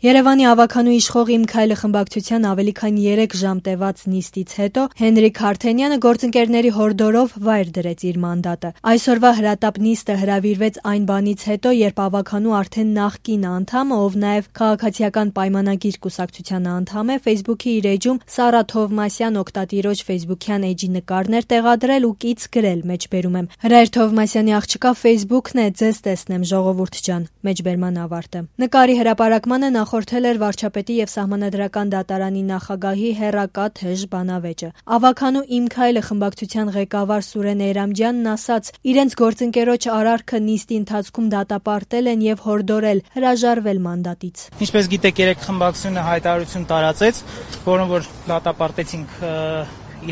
Երևանի ավագանու իշխող «Իմ քայլը» խմբակցության ավելի քան 3 ժամ տևած նիստից հետո Հենրիկ Հարթենյանը գործընկերների հորդորով վայր դրեց իր մանդատը։ Այսօրվա հրատապ նիստը հրավիրվեց այն բանից հետո, երբ ավագանու արդեն նախկին անդամը, ով նաև Քաղաքացիական պայմանագիր կուսակցության անդամ է, Facebook-ի իր էջում Սառա Թովմասյան օգտատիրոջ Facebook-յան էջի նկարներ տեղադրել ու կից գրել մեջբերում եմ. «Հրայր Թովմասյանի աղջկա Facebook-ն է, ձեզ տեսնեմ ժողովուրդ ջան», մեջբերման ավարտը։ Նկարի հրապարակմանը նախորդել էր վարչապետի եւ Սահմանադրական դատարանի նախագահի հեռակա թեժ բանավեճը։ Ավագանու «Իմ քայլը» խմբակցության ղեկավար Սուրեն Էյրամջյանն ասաց, իրենց գործընկերոջ արարքը նիստի ընթացքում դատապարտել են եւ հորդորել հրաժարվել մանդատից։ Ինչպես գիտեք, երեք խմբակցությունը հայտարարություն տարածեց, որոնց որ դատապարտեցինք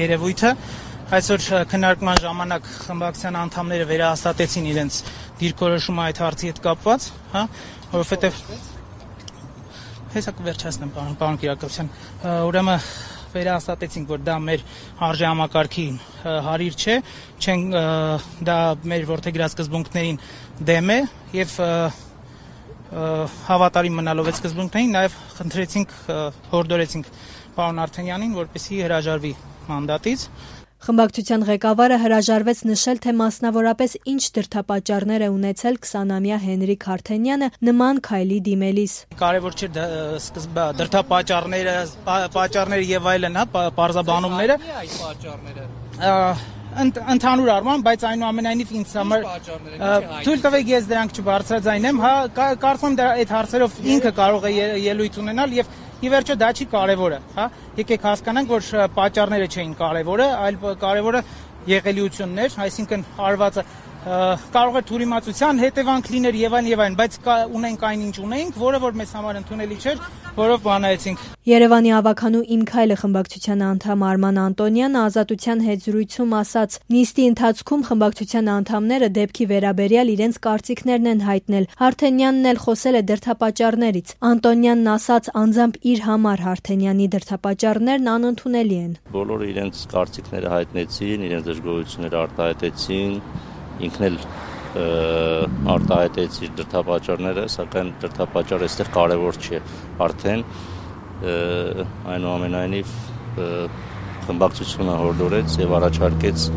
երևույթը։ Այսօր քննարկման ժամանակ խմբակցության անդամները վերահաստատեցին իրենց դիրքորոշումը այդ հարցի հետ կապված, որովհետեւ հեսա կվերջացնեմ պարոն Կիրակոսյան, ուրեմն վերահաստատեցինք, որ դա մեր արժեհամակարգի հարիր չէ, դա մեր որդեգրած սկզբունքներին դեմ է եւ հավատարիմ մնալով այդ սկզբունքներին նաեւ խնդրեցինք, հորդորեցինք պարոն Արթենյանին, որպեսզի հրաժարվի մանդատից։ Խմբակցության ղեկավարը հրաժարվեց նշել, թե մասնավորապես ինչ դրդապատճառներ է ունեցել 20-ամյա Հենրիկ Հարթենյանը նման քայլի դիմելիս։ Կարևոր չէ դրդապատճառները եւ այլն, պարզաբանումները։ Ընդհանուր առմամբ, բայց այնուամենայնիվ ինձ համար թույլ տվեք ես դրանք չբարձրաձայնեմ, կարծում եմ այդ հարցերով ինքը կարող է ելույթ ունենալ եւ ի վերջո դա չի կարևորը, եկեք հասկանանք, որ պատճառները չէին կարևորը, այլ կարևորը եղելիությունն էր, այսինքն արվածը կարող է թյուրիմացության հետևանք լիներ եւ այլն, բայց ունենք այնինչ ունենք, որը որ մեզ համար ընդունելի չէր, որով բանայեցինք։ Երևանի ավագանու «Իմ քայլը» խմբակցության անդամ Արման Անտոնյանը Ազատության հետ զրույցում ասաց. նիստի ընթացքում խմբակցության անդամները դեպքի վերաբերյալ իրենց կարծիքներն են հայտնել։ Հարթենյանն էլ խոսել է դրդապատճառներից։ Անտոնյանն ասաց, անձամբ իր համար Հարթենյանի դրդապատճառներն անընդունելի են։ Բոլորը իրենց կարծիքները հայտնեցին, իրենց դժգոհությունները արտահայտեցին, ինքն էլ արտահայտեց իր դրդապատճառները, սակայն դրդապատճառը այստեղ կարևոր չէ արդեն, այնուամենայնիվ խմբակցությունը հորդորեց եւ առաջարկեց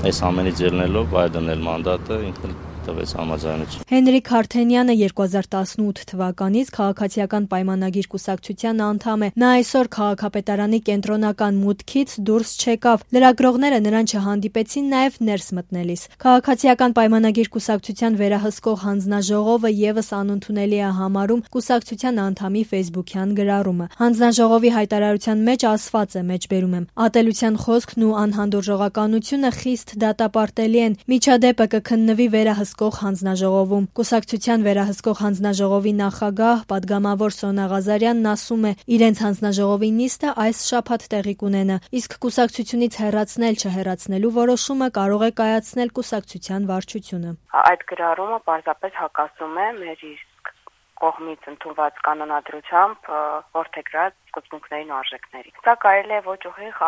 այս ամենից ելնելով վայր դնել մանդատը, ինքն էլ տվեց համաձայնություն։ Հենրիկ Հարթենյանը 2018 թվականից Քաղաքացիական պայմանագիր կուսակցության անդամ է։ Նա այսօր քաղաքապետարանի կենտրոնական մուտքից դուրս չեկավ։ Լրագրողները նրան չհանդիպեցին նաև ներս մտնելիս։ Քաղաքացիական պայմանագիր կուսակցության վերահսկող հանձնաժողովը եւս անընդունելի է համարում կուսակցության անդամի Facebook-յան գրառումը։ Հանձնաժողովի հայտարարության մեջ ասված է, մեջբերում եմ. ատելության խոսքն ու անհանդուրժողականությունը խիստ դատապարտելի են։ Միջադեպը կքննվի վերահսկող հանձնաժողովում։ Կուսակցության վերահսկող հանձնաժողովի նախագահ պատգամավոր Սոնա Ղազարյանն ասում է, իրենց հանձնաժողովի նիստը այս շաբաթ տեղի կունենա, իսկ կուսակցությունից հեռացնել չհեռացնելու որոշումը կարող է կայացնել կուսակցության վարչությունը։ Այդ գրառումը պարզապես հակասում է մեր կողմից ընդունված կանոնադրությամբ որդեգրած սկզբունքներին ու արժեքներին։ Սա կարելի է ոչ ուղիղ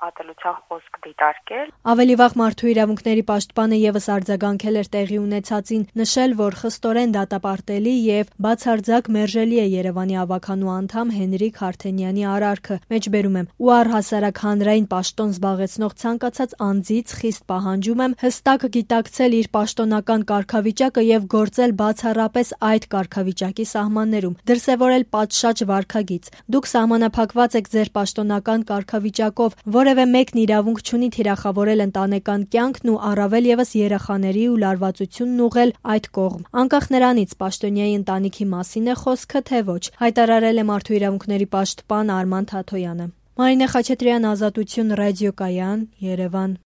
ատելության խոսք դիտարկել։ Ավելի վաղ Մարդու իրավունքների պաշտպանը եւս արձագանքել էր տեղի ունեցածին, նշել, որ խստորեն դատապարտելի եւ բացարձակ մերժելի է Երևանի ավագանու անդամ Հենրիկ Հարթենյանի արարքը։ Մեջբերում եմ. ու առհասարակ հանրային պաշտոն զբաղեցնող ցանկացած անձից խիստ պահանջում եմ հստակ գիտակցել իր պաշտոնական կարգավիճակը եւ գործել բացառապես այդ կարգավիճակի սահմաններում, դրսևորել պատշաճ վարքագիծ։ Դուք սահմանափակված եք ձեր պաշտոնական կարգավիճակով, որևէ մեկն իրավունք չունի թիրախավորել ընտանեկան կյանքն ու առավել եւս երեխաների ու լարվածությունն ուղղել այդ կողմ։ Անկախ նրանից պաշտոնյայի ընտանիքի մասին է խոսքը, թե ոչ, հայտարարել է Մարդու իրավունքների պաշտպան Արման Թաթոյանը։ Մարինե Խաչատրյան, Ազատություն ռադիոկայան, Երևան։